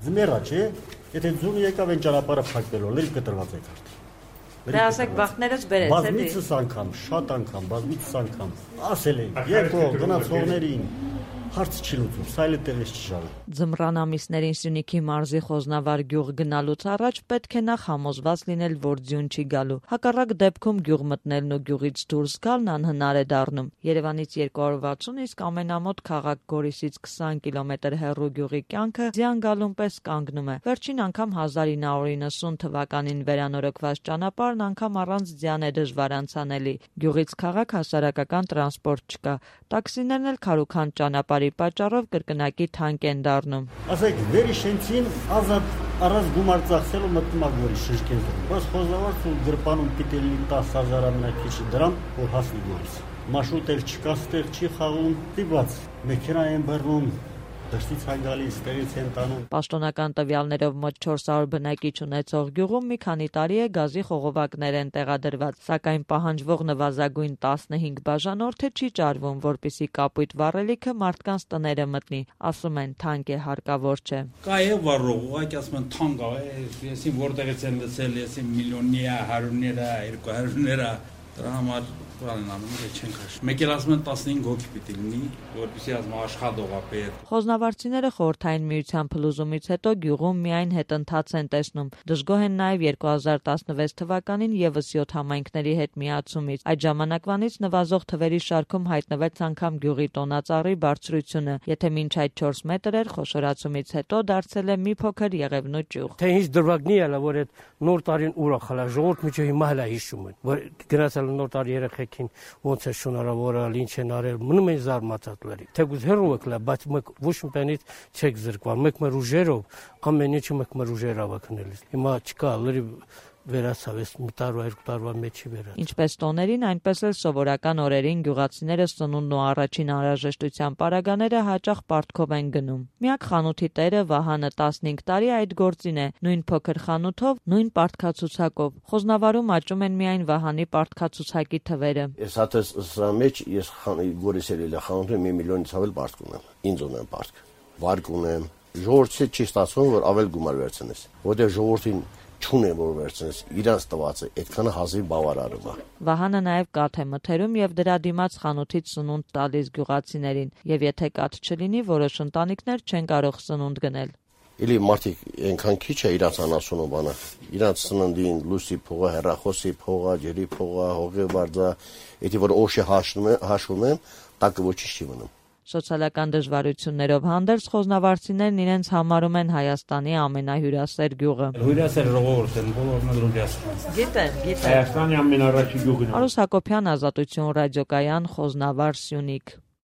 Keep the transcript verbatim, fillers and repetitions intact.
Ձմեռա չէ, եթե ձուն եկավ են ճանապարհը փակվելով, լրիվ կտրված եք արդեն։ Դե ասեք բախտներս բերեց, էլի։ Բազմիցս անգամ, շատ անգամ, բազմիցս անգամ ասել են, եկո գնացողներին հարց չի լուծում, սայլը տեղից չի շարում։ Ձմռան ամիսներին Սյունիքի մարզի Խոզնավար գյուղ գնալուց առաջ պետք է նախ համոզված լինել, որ ձյուն չի գալու։ Հակառակ դեպքում գյուղ մտնելն ու գյուղից դուրս գալն անհնար է դառնում։ Երևանից երկու հարյուր վաթսուն, իսկ ամենամոտ քաղաք Գորիսից քսան կիլոմետր հեռու գյուղի կյանքը ձյան գալուն պես կանգնում է։ Վերջին անգամ հազար ինը հարյուր իննսուն թվականին վերանորոգված ճանապարհն անգամ առանց ձյան է դժվար անցանելի։ Գյուղից քաղաք հասարակական տրանսպորտ չկա։ Տաքսիներն էլ քարուքանդ ճանապարհի պատճառով կրկնակի թանկ են դառնում։ Ասեք, վերի շենցին ազատ առանց գումար ծախսելու մտնում ա Գորիս շրջեն։ Բայց Խոզնավարց ու գրպանում պիտի լինի տասը հազար ամենակիչի դրամ, որ հասնի Գորիս։ Մաշուտ էլ չկա, ստեղ չի խաղում, դիված մեքենա են բռնում, դրսից են գալիս, տեղից են տանում։ Պաշտոնական տվյալներով մոտ չորս հարյուր բնակիչ ունեցող գյուղում մի քանի տարի է գազի խողովակներ են տեղադրված, սակայն պահանջվող նվազագույն տասնհինգ բաժանորդը չի ճարվում, որպեսզի կապույտ վառելիքը մարդկանց տները մտնի, ասում են թանկ է, հարկավոր չէ։ Կա է վառող, ուղղակի ասում են թանկ է, եսին որտեղից են լսել, եսին միլիոննիա, հարյուրներա, երկու հարյուրներա, դրա համար բանն անում է չեն քաշ։ Մեկ էլ ասում են տասնհինգ հոգի պիտի լինի, որպեսզի ասում աշխատող է պետ։ Խոզնավարցիները խորհրդային միության փլուզումից հետո գյուղում միայն հետընթաց են տեսնում։ Դժգոհ են նաև երկու հազար տասնվեց թվականին եւս յոթ համայնքների հետ միացումից։ Այդ ժամանակվանից նվազող թվերի շարքում հայտնվեց անգամ գյուղի տոնածառի բարձրությունը, եթե մինչ այդ չորս մետր էր, խոշորացումից հետո դարձել է մի փոքր եղևնու ճյուղ։ Թե ինչ դրվագնի է, որ այդ նոր տարին ուրախ հլա ժողովուրդ միջը հիմա հլա հիշում են, որ գնացել նոր տարի երեխեքին ոնց է շնորհավորել, ինչ են արել, մնում են զարմացած լրի։ Թեկուզ հեռու եք լա, բայց մեկ ոչ մի բանից չեք զրկվել, մեկ մեր ուժերով, ամեն ինչը մեկ մեր ուժերով է քնելիս։ Հիմա չկա լրի վերացավ, ես մի տարվա, երկու տարվա մեջի վերացավ։ Ինչպես տոներին, այնպես էլ սովորական օրերին գյուղացիները սնունդն ու առաջին անհրաժեշտության պարագաները հաճախ պարտքով են գնում։ Միակ խանութի տերը Վահանը տասնհինգ տարի այդ գործին է, նույն փոքր խանութով, նույն պարտքացուցակով։ Խոզնավարում աճում են միայն Վահանի պարտքացուցակի թվերը։ Ես հատես սրա մեջ ես Գորիսել էլ խանութում մի միլիոնից ավել պարտք ունեմ, ինձ ունեմ պարտք, վարկ ունեմ։ Ժողովրդի չի ստացվում, որ ավել գումար վերցնես, որտեղ ժողովրդին չունեմ որ վերցնես, իրանց տված է, այդքանը հազիվ բավարարում է։ Վահանը նաև կաթ է մթերում եւ դրա դիմաց խանութից սնունդ տալիս գյուղացիներին, եւ եթե կաթ չլինի, որոշ ընտանիքներ չեն կարող սնունդ գնել։ Իլի մարդիկ այնքան քիչ է իրանց անասունը բանը, իրանց սննդին լույսի փողը, հեռախոսի փողը, ջրի փողը, հողի վարձը, եթե որ օշը հաշվում եմ, տակը ոչինչ չի մնում։ Սոցիալական դժվարություններով հանդերձ խոզնավարցիներն իրենց համարում են Հայաստանի ամենահյուրասեր գյուղը։ Հյուրասեր ժողովուրդ են, բոլորն էլ հյուրասեր։ Գիտեն, գիտեն։ Հայաստանի ամենառաջի գյուղն է։ Արուս Հակոբյան, Ազատություն ռադիոկայան, Խոզնավար, Սյունիք։